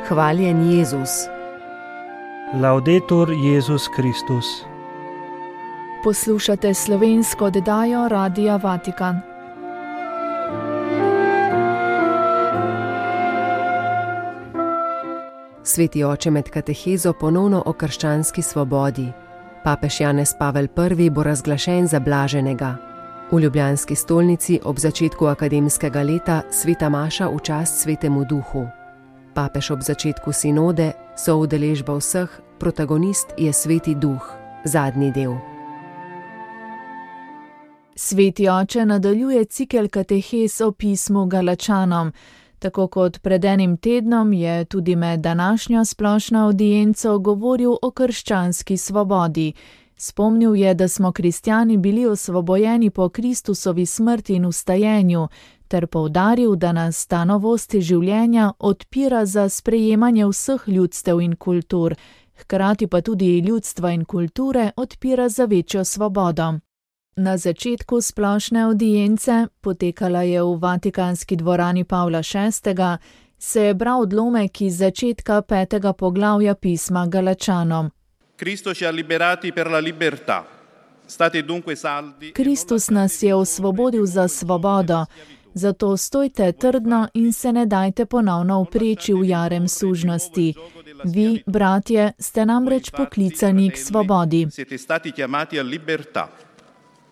Hvaljen Jezus. Laudetur Jezus Kristus. Poslušate slovensko oddajo Radia Vatikan. Sveti oče med katehezo ponovno o krščanski svobodi. Papež Janez Pavel I bo razglašen za blaženega. V ljubljanski stolnici ob začetku akademskega leta sveta maša v čast svetemu duhu. Papež ob začetku sinode, soudeležba vseh, protagonist je sveti duh, zadnji del. Sveti oče nadaljuje cikel katehez o pismu Galačanom. Tako kot pred enim tednom je tudi med današnjo splošno avdienco govoril o krščanski svobodi. Spomnil je, da smo kristjani bili osvobojeni po Kristusovi smrti in vstajenju, ter poudaril, da nas ta novost življenja odpira za sprejemanje vseh ljudstev in kultur, hkrati pa tudi ljudstva in kulture odpira za večjo svobodo. Na začetku splošne avdience, potekala je v Vatikanski dvorani Pavla VI., se je bral odlomek iz začetka 5. poglavja pisma Galačanom. Kristus nas je osvobodil za svobodo, zato stojte trdno in se ne dajte ponovno upreči v jarem sužnosti. Vi, bratje, ste namreč poklicani k svobodi.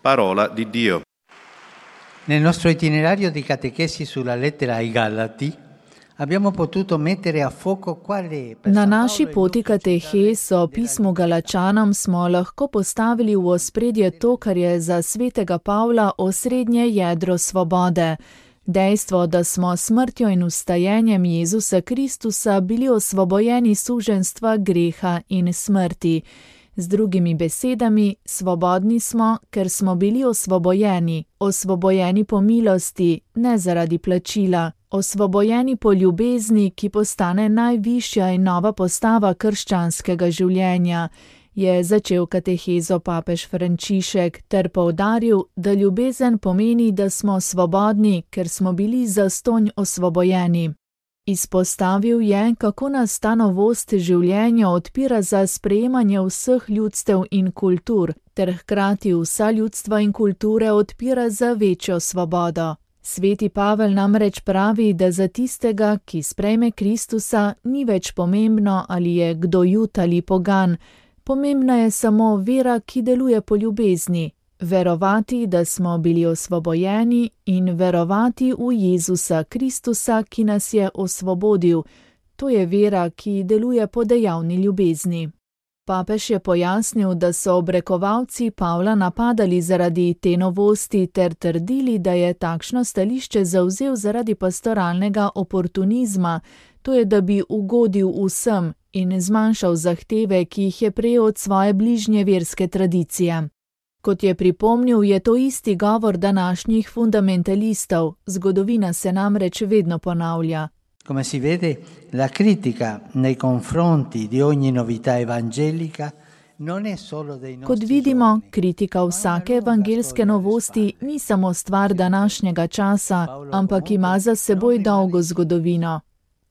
Parola di Dio. Nel nostro itinerario di catechesi sulla lettera ai Galati abbiamo potuto mettere a fuoco quale Na naši poti katehez o pismu Galačanom smo lahko postavili v ospredje to, kar je za svetega Pavla osrednje jedro svobode. Dejstvo, da smo smrtjo in vstajenjem Jezusa Kristusa bili osvobojeni suženjstva greha in smrti. Z drugimi besedami, svobodni smo, ker smo bili osvobojeni po milosti, ne zaradi plačila, osvobojeni po ljubezni, ki postane najvišja in nova postava krščanskega življenja, je začel katehezo papež Frančišek ter poudaril, da ljubezen pomeni, da smo svobodni, ker smo bili zastonj osvobojeni. Izpostavil je, kako nas ta novost življenja odpira za sprejemanje vseh ljudstev in kultur, ter hkrati vsa ljudstva in kulture odpira za večjo svobodo. Sveti Pavel namreč pravi, da za tistega, ki sprejme Kristusa, ni več pomembno, ali je kdo Jud ali pogan. Pomembna je samo vera, ki deluje po ljubezni. Verovati, da smo bili osvobojeni in verovati v Jezusa Kristusa, ki nas je osvobodil. To je vera, ki deluje po dejavni ljubezni. Papež je pojasnil, da so obrekovalci Pavla napadali zaradi te novosti ter trdili, da je takšno stališče zavzel zaradi pastoralnega oportunizma, to je, da bi ugodil vsem in zmanjšal zahteve, ki jih je prejel od svoje bližnje verske tradicije. Kot je pripomnil, je to isti govor današnjih fundamentalistov. Zgodovina se namreč vedno ponavlja. Come si vede, la critica nei confronti di ogni novità evangelica non è solo dei nostri. Kot vidimo, kritika vsake evangelske novosti ni samo stvar današnjega časa, ampak ima za seboj dolgo zgodovino.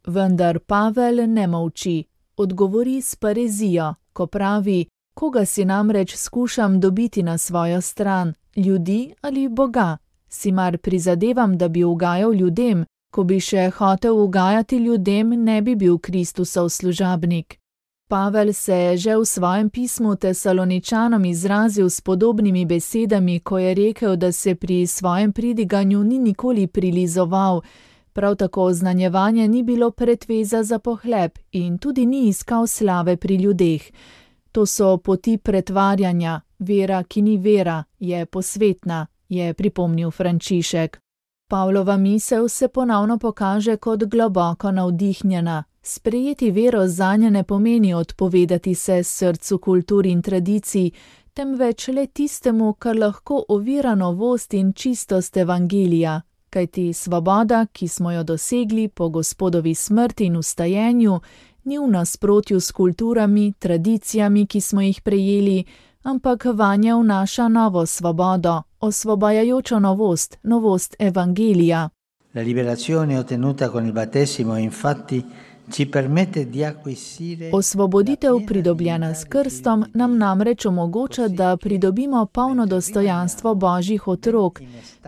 Vendar Pavel ne molči. Odgovori s parezijo, ko pravi: koga si namreč skušam dobiti na svojo stran, ljudi ali Boga? Si mar prizadevam, da bi ugajal ljudem? Ko bi še hotel ugajati ljudem, ne bi bil Kristusov služabnik. Pavel se je že v svojem pismu Tesaloničanom izrazil s podobnimi besedami, ko je rekel, da se pri svojem pridiganju ni nikoli prilizoval. Prav tako oznanjevanje ni bilo pretveza za pohleb in tudi ni iskal slave pri ljudeh. To so poti pretvarjanja, vera, ki ni vera, je posvetna, je pripomnil Frančišek. Pavlova misel se ponovno pokaže kot globoko navdihnjena. Sprejeti vero zanje ne pomeni odpovedati se srcu kultur in tradicij, temveč le tistemu, kar lahko ovira novost in čistost evangelija. Kajti svoboda, ki smo jo dosegli po Gospodovi smrti in vstajenju, ni v nasprotju s kulturami, tradicijami, ki smo jih prejeli, ampak vanje vnaša novo svobodo, osvobajajočo novost, novost evangelija. La liberazione ottenuta con il battesimo è infatti ci permette di acquisire. Osvoboditev, pridobljena s krstom, nam namreč omogoča, da pridobimo polno dostojanstvo Božjih otrok,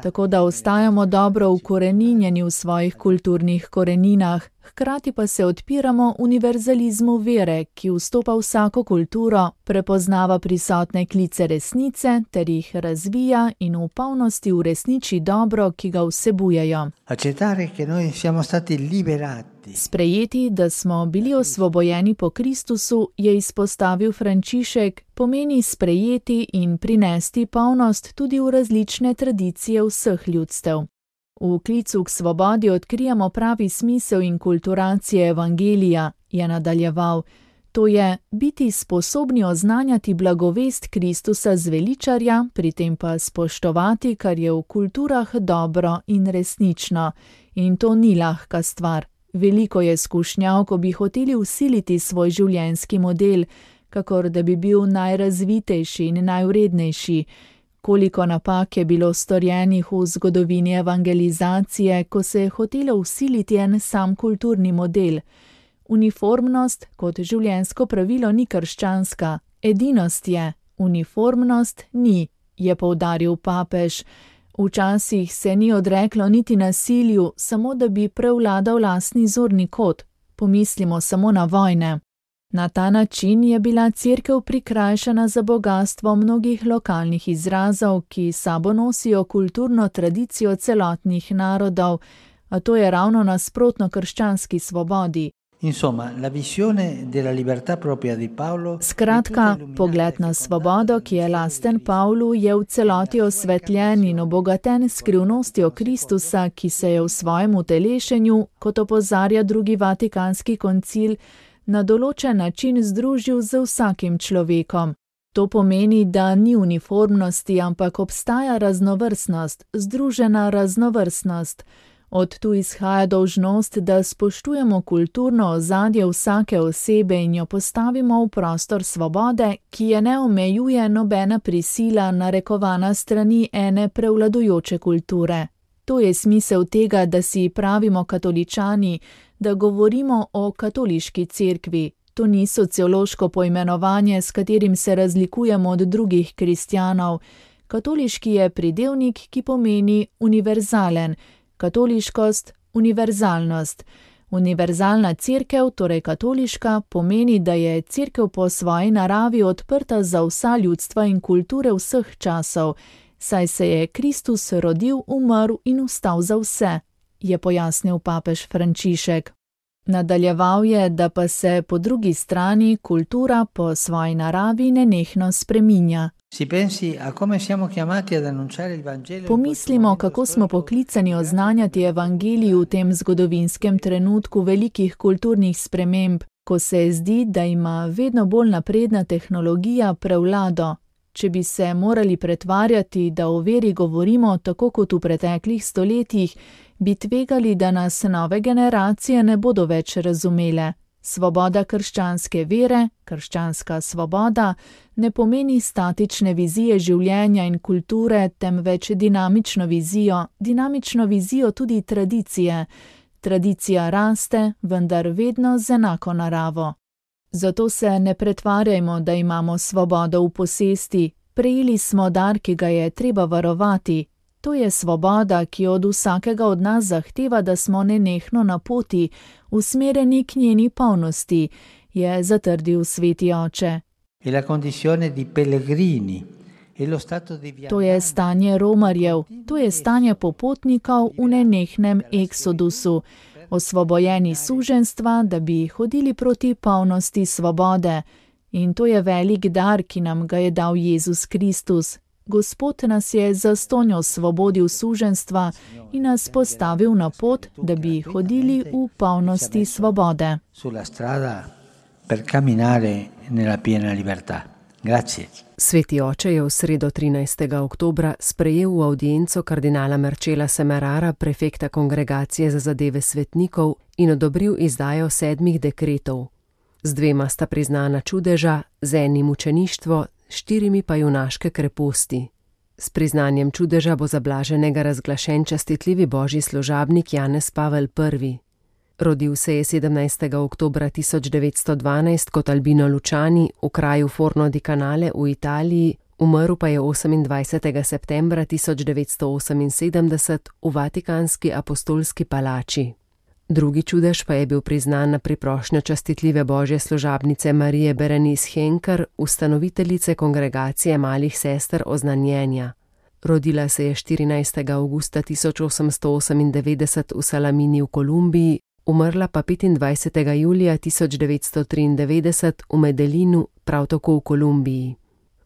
tako da ostajamo dobro ukoreninjeni v svojih kulturnih koreninah, hkrati pa se odpiramo univerzalizmu vere, ki vstopa v vsako kulturo, prepoznava prisotne klice resnice ter jih razvija in v polnosti uresniči dobro, ki ga vsebujejo. Accettare che noi siamo stati liberati. Sprejeti, da smo bili osvobojeni po Kristusu, je izpostavil Frančišek, pomeni sprejeti in prinesti polnost tudi v različne tradicije vseh ljudstev. V klicu k svobodi odkrijemo pravi smisel in kulturacije evangelija, je nadaljeval. To je biti sposobni oznanjati blagovest Kristusa zveličarja, pri tem pa spoštovati, kar je v kulturah dobro in resnično. In to ni lahka stvar. Veliko je skušnjav, ko bi hoteli vsiliti svoj življenjski model, kakor da bi bil najrazvitejši in najvrednejši. Koliko napak je bilo storjenih v zgodovini evangelizacije, ko se je hotelo vsiliti en sam kulturni model. Uniformnost kot življenjsko pravilo ni krščanska, edinost je, uniformnost ni, je poudaril papež. Včasih se ni odreklo niti nasilju, samo da bi prevladal lastni zorni kot. Pomislimo samo na vojne. Na ta način je bila Cerkev prikrajšana za bogastvo mnogih lokalnih izrazov, ki sabo nosijo kulturno tradicijo celotnih narodov, a to je ravno nasprotno krščanski svobodi. Insomma, la visione della libertà propria di Paolo. Skratka, pogled na svobodo, ki je lasten Pavlu, je v celoti osvetljen in obogaten skrivnostjo Kristusa, ki se je v svojem utelešenju, kot opozarja drugi vatikanski koncil, na določen način združil z vsakim človekom. To pomeni, da ni uniformnosti, ampak obstaja raznovrstnost, združena raznovrstnost. Od tu izhaja dolžnost, da spoštujemo kulturno ozadje vsake osebe in jo postavimo v prostor svobode, ki je ne omejuje nobena prisila narekovana strani ene prevladujoče kulture. To je smisel tega, da si pravimo katoličani, da govorimo o katoliški cerkvi. To ni sociološko poimenovanje, s katerim se razlikujemo od drugih kristjanov. Katoliški je pridevnik, ki pomeni univerzalen. Katoliškost, univerzalnost. Univerzalna cerkev, torej katoliška, pomeni, da je cerkev po svoji naravi odprta za vsa ljudstva in kulture vseh časov, saj se je Kristus rodil, umrl in vstal za vse, je pojasnil papež Frančišek. Nadaljeval je, da pa se po drugi strani kultura po svoji naravi nenehno spreminja. Pomislimo, kako smo poklicani oznanjati evangelij v tem zgodovinskem trenutku velikih kulturnih sprememb, ko se zdi, da ima vedno bolj napredna tehnologija prevlado. Če bi se morali pretvarjati, da o veri govorimo tako kot v preteklih stoletjih, bi tvegali, da nas nove generacije ne bodo več razumele. Svoboda krščanske vere, krščanska svoboda, ne pomeni statične vizije življenja in kulture, temveč dinamično vizijo tudi tradicije. Tradicija raste, vendar vedno z enako naravo. Zato se ne pretvarjajmo, da imamo svobodo v posesti. Prejeli smo dar, ki ga je treba varovati. To je svoboda, ki od vsakega od nas zahteva, da smo nenehno na poti, usmerjeni k njeni polnosti, je zatrdil sveti oče. To je stanje romarjev, to je stanje popotnikov v nenehnem eksodusu, osvobojeni suženjstva, da bi hodili proti polnosti svobode. In to je velik dar, ki nam ga je dal Jezus Kristus. Gospod nas je zastonj osvobodil suženjstva in nas postavil na pot, da bi hodili v polnosti svobode. Sveti oče je v sredo 13. oktobra sprejel v avdienco kardinala Marcela Semerara, prefekta Kongregacije za zadeve svetnikov, in odobril izdajo 7 dekretov. Z 2 sta priznana čudeža, z enim mučeništvo, 4 pa junaške kreposti. S priznanjem čudeža bo za blaženega razglašen častitljivi božji služabnik Janez Pavel I. Rodil se je 17. oktobra 1912 kot Albino Luciani v kraju Forno di Canale v Italiji, umrl pa je 28. septembra 1978 v Vatikanski apostolski palači. Drugi čudež pa je bil priznan na priprošnjo častitljive božje služabnice Marije Berenice Henker, ustanoviteljice kongregacije malih sester oznanjenja. Rodila se je 14. avgusta 1898 v Salamini v Kolumbiji, umrla pa 25. julija 1993 v Medellinu, prav tako v Kolumbiji.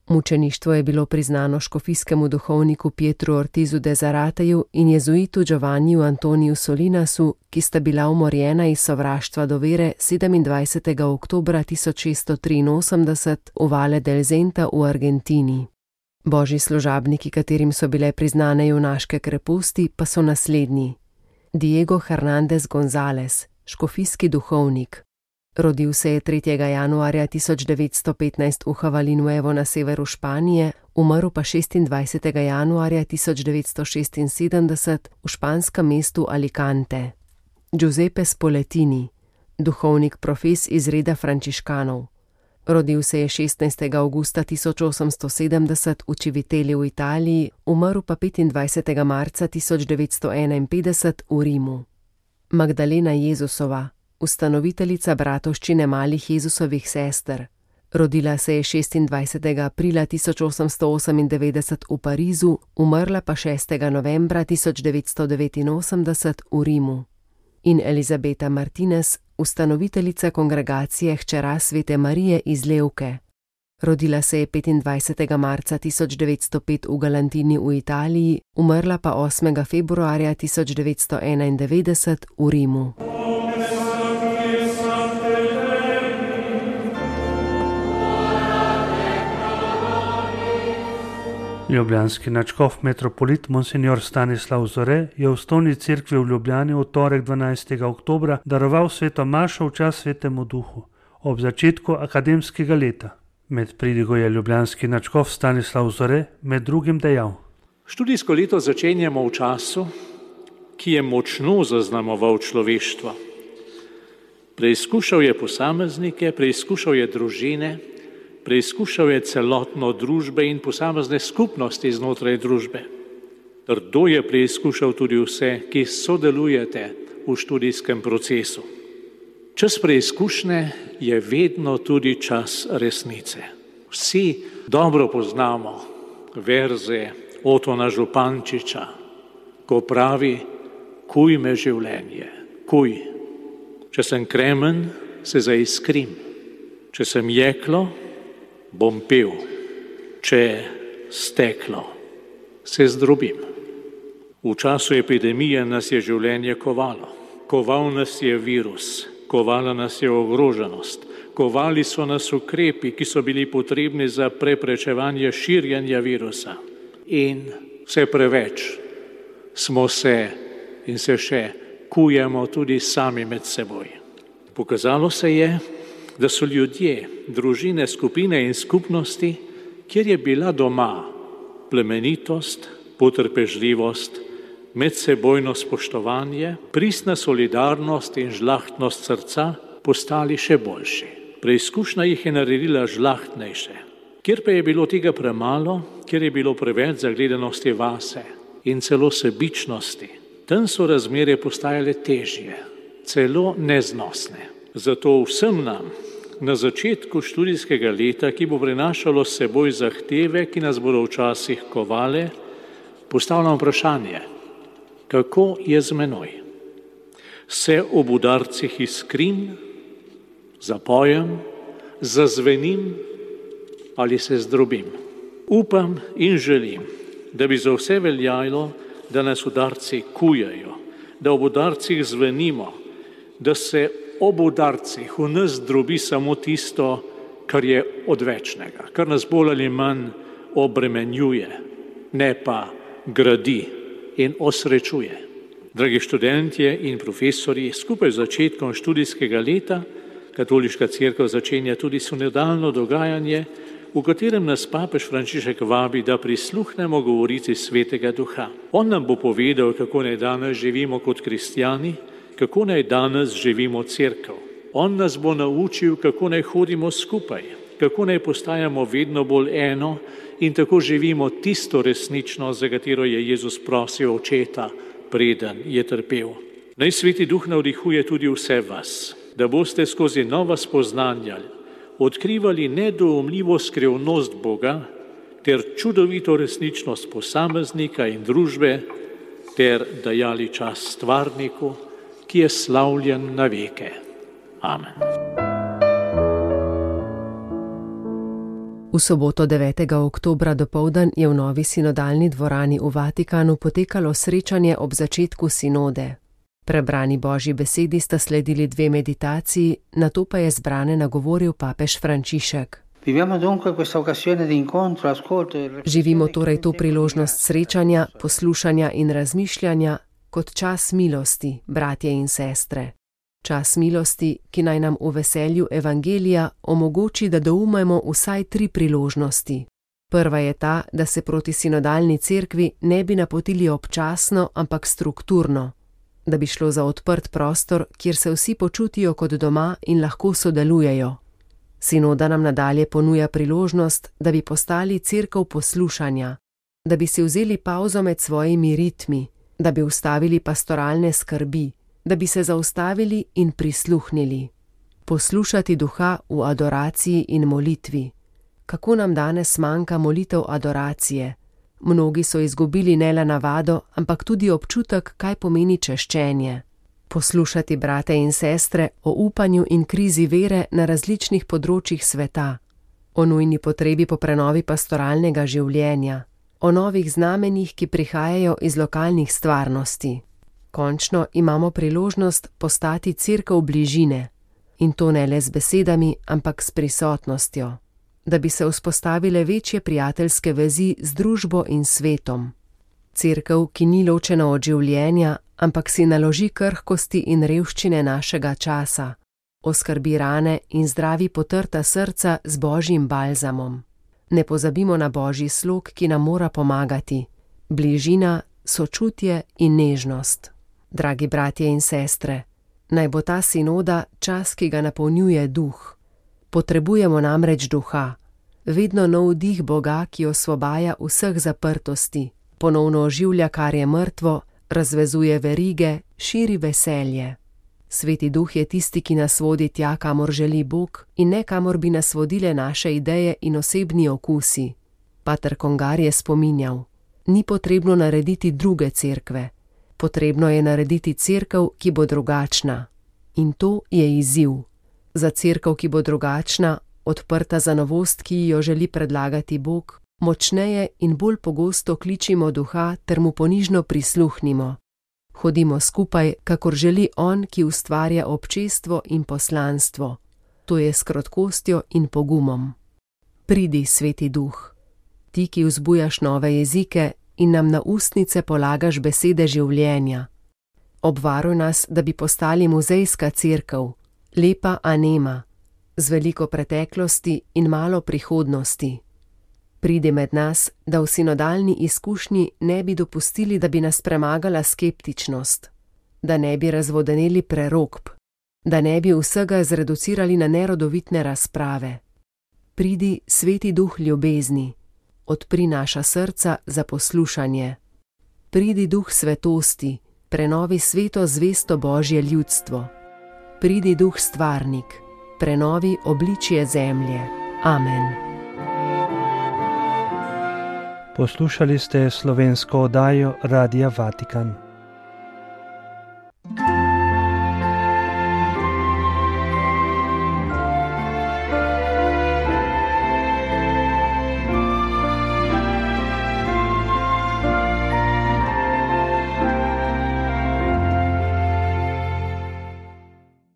Mučeništvo je bilo priznano škofijskemu duhovniku Pietru Ortizu de Zarateju in jezuitu Giovanniju Antoniju Solinasu, ki sta bila umorjena iz sovraštva do vere 27. oktobra 1683 v Valle del Zenta v Argentini. Božji služabniki, katerim so bile priznane junaške kreposti, pa so naslednji. Diego Hernández González, škofijski duhovnik. Rodil se je 3. januarja 1915 v Havalinuevo na severu Španije, umrl pa 26. januarja 1976 v španskem mestu Alicante. Giuseppe Spoletini, duhovnik profes iz reda frančiškanov. Rodil se je 16. avgusta 1870 v Civiteli v Italiji, umrl pa 25. marca 1951 v Rimu. Magdalena Jezusova, ustanoviteljica bratovščine malih Jezusovih sester. Rodila se je 26. aprila 1898 v Parizu, umrla pa 6. novembra 1989 v Rimu. In Elizabeta Martinez, ustanoviteljica kongregacije Hčera svete Marije iz Levke. Rodila se je 25. marca 1905 v Galantini v Italiji, umrla pa 8. februarja 1991 v Rimu. Ljubljanski nadškof metropolit Monsignor Stanislav Zore je v Stolni cerkvi v Ljubljani v torek 12. oktobra daroval sveto mašo v čast svetemu duhu ob začetku akademskega leta. Med pridigo je ljubljanski nadškof Stanislav Zore med drugim dejal: Študijsko leto začenjamo v času, ki je močno zaznamoval človeštvo. Preizkušal je posameznike, preizkušal je družine, preizkušal je celotno družbe in posamezne skupnosti znotraj družbe. Trdo je preizkušal tudi vse, ki sodelujete v študijskem procesu. Čas preizkušnje je vedno tudi čas resnice. Vsi dobro poznamo verze Otona Župančiča, ko pravi: kuj me življenje, kuj. Če sem kremen, se zaiskrim. Če sem jeklo, bom pil, če steklo, se zdrobim. V času epidemije nas je življenje kovalo. Koval nas je virus, kovala nas je ogroženost, kovali so nas ukrepi, ki so bili potrebni za preprečevanje širjenja virusa. In vse preveč smo se in se še kujemo tudi sami med seboj. Pokazalo se je, da so ljudje, družine, skupine in skupnosti, kjer je bila doma plemenitost, potrpežljivost, medsebojno spoštovanje, pristna solidarnost in žlahtnost srca, postali še boljši. Preizkušnja jih je naredila žlahtnejše. Kjer pa je bilo tega premalo, kjer je bilo preveč zagledanosti vase in celo sebičnosti, tam so razmere postajale težje, celo neznosne. Zato vsem nam na začetku študijskega leta, ki bo prinašalo s seboj zahteve, ki nas bodo včasih kovale, postavljam vprašanje: kako je z menoj? Se ob udarcih iskrim, zapojem, zazvenim ali se zdrobim? Upam in želim, da bi za vse veljalo, da nas udarci kujajo, da ob udarcih zvenimo, da se ob udarcih v nas drobi samo tisto, kar je odvečnega, kar nas bolj ali manj obremenjuje, ne pa gradi in osrečuje. Dragi študentje in profesorji, skupaj z začetkom študijskega leta Katoliška cerkev začenja tudi sinodalno dogajanje, v katerem nas papež Frančišek vabi, da prisluhnemo govorici Svetega Duha. On nam bo povedal, kako naj danes živimo kot kristjani, kako naj danes živimo cerkev. On nas bo naučil, kako naj hodimo skupaj, kako naj postajamo vedno bolj eno in tako živimo tisto resničnost, za katero je Jezus prosil Očeta, preden je trpel. Naj Sveti Duh navdihuje tudi vse vas, da boste skozi nova spoznanja odkrivali nedoumljivo skrivnost Boga ter čudovito resničnost posameznika in družbe ter dajali čas stvarniku, ki je slavljen na veke. Amen. V soboto 9. oktobra dopoldan je v novi sinodalni dvorani v Vatikanu potekalo srečanje ob začetku sinode. Prebrani Božji besedi sta sledili 2 meditaciji, nato pa je zbrane nagovoril papež Frančišek. Živimo torej to priložnost srečanja, poslušanja in razmišljanja kot čas milosti, bratje in sestre. Čas milosti, ki naj nam v veselju evangelija omogoči, da doumemo vsaj 3 priložnosti. Prva je ta, da se proti sinodalni cerkvi ne bi napotili občasno, ampak strukturno, da bi šlo za odprt prostor, kjer se vsi počutijo kot doma in lahko sodelujejo. Sinoda nam nadalje ponuja priložnost, da bi postali cerkev poslušanja, da bi si vzeli pavzo med svojimi ritmi, da bi ustavili pastoralne skrbi, da bi se zaustavili in prisluhnili. Poslušati Duha v adoraciji in molitvi. Kako nam danes manjka molitev adoracije? Mnogi so izgubili ne le navado, ampak tudi občutek, kaj pomeni češčenje. Poslušati brate in sestre o upanju in krizi vere na različnih področjih sveta, o nujni potrebi po prenovi pastoralnega življenja, o novih znamenjih, ki prihajajo iz lokalnih stvarnosti. Končno imamo priložnost postati cerkev bližine, in to ne le z besedami, ampak s prisotnostjo, da bi se vzpostavile večje prijateljske vezi z družbo in svetom. Cerkev, ki ni ločena od življenja, ampak si naloži krhkosti in revščine našega časa, oskrbi rane in zdravi potrta srca z Božjim balzamom. Ne pozabimo na Božji slog, ki nam mora pomagati, bližina, sočutje in nežnost. Dragi bratje in sestre, naj bo ta sinoda čas, ki ga napolnjuje Duh. Potrebujemo namreč Duha, vedno nov dih Boga, ki osvobaja vseh zaprtosti, ponovno oživlja, kar je mrtvo, razvezuje verige, širi veselje. Sveti Duh je tisti, ki nas vodi tja, kamor želi Bog, in ne kamor bi nas vodile naše ideje in osebni okusi. Pater Congar je spominjal, ni potrebno narediti druge cerkve, potrebno je narediti cerkev, ki bo drugačna. In to je izziv. Za cerkev, ki bo drugačna, odprta za novost, ki jo želi predlagati Bog, močneje in bolj pogosto kličimo Duha ter mu ponižno prisluhnimo. Hodimo skupaj, kakor želi On, ki ustvarja občestvo in poslanstvo. To je s krotkostjo in pogumom. Pridi, Sveti Duh. Ti, ki vzbujaš nove jezike in nam na ustnice polagaš besede življenja. Obvaruj nas, da bi postali muzejska cerkev, lepa, a nema, z veliko preteklosti in malo prihodnosti. Pridi med nas, da v sinodalni izkušnji ne bi dopustili, da bi nas premagala skeptičnost, da ne bi razvodeneli prerokb, da ne bi vsega zreducirali na nerodovitne razprave. Pridi, Sveti Duh ljubezni, odpri naša srca za poslušanje. Pridi, Duh svetosti, prenovi sveto zvesto Božje ljudstvo. Pridi, Duh stvarnik, prenovi obličje zemlje. Amen. Poslušali ste slovensko oddajo Radia Vatikan.